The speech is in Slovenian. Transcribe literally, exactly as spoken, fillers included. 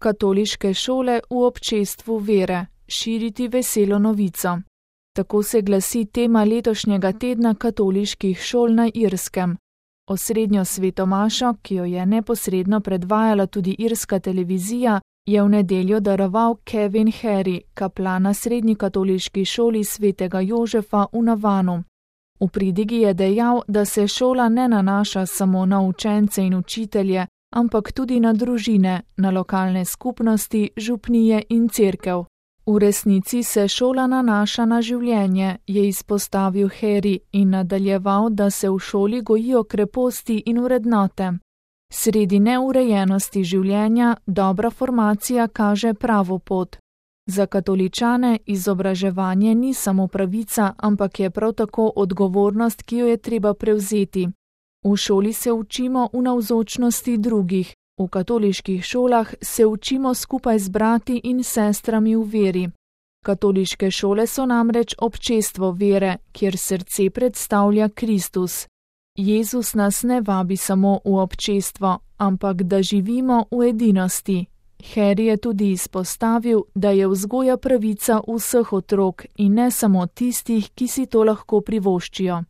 Katoliške šole v občestvu vere, širiti veselo novico. Tako se glasi tema letošnjega tedna katoliških šol na Irskem. Osrednjo svetomašo, ki jo je neposredno predvajala tudi irska televizija, je v nedeljo daroval Kevin Harry, kaplan na srednji katoliški šoli svetega Jožefa v Navanu. V pridigi je dejal, da se šola ne nanaša samo na učence in učitelje, ampak tudi na družine, na lokalne skupnosti, župnije in cerkev. V resnici se šola nanaša na življenje, je izpostavil Harry in nadaljeval, da se v šoli gojijo kreposti in vrednote. Sredi neurejenosti življenja dobra formacija kaže pravo pot. Za katoličane izobraževanje ni samo pravica, ampak je prav tako odgovornost, ki jo je treba prevzeti. V šoli se učimo v navzočnosti drugih, v katoliških šolah se učimo skupaj z brati in sestrami v veri. Katoliške šole so namreč občestvo vere, kjer srce predstavlja Kristus. Jezus nas ne vabi samo v občestvo, ampak da živimo v edinosti. Harry je tudi izpostavil, da je vzgoja pravica vseh otrok in ne samo tistih, ki si to lahko privoščijo.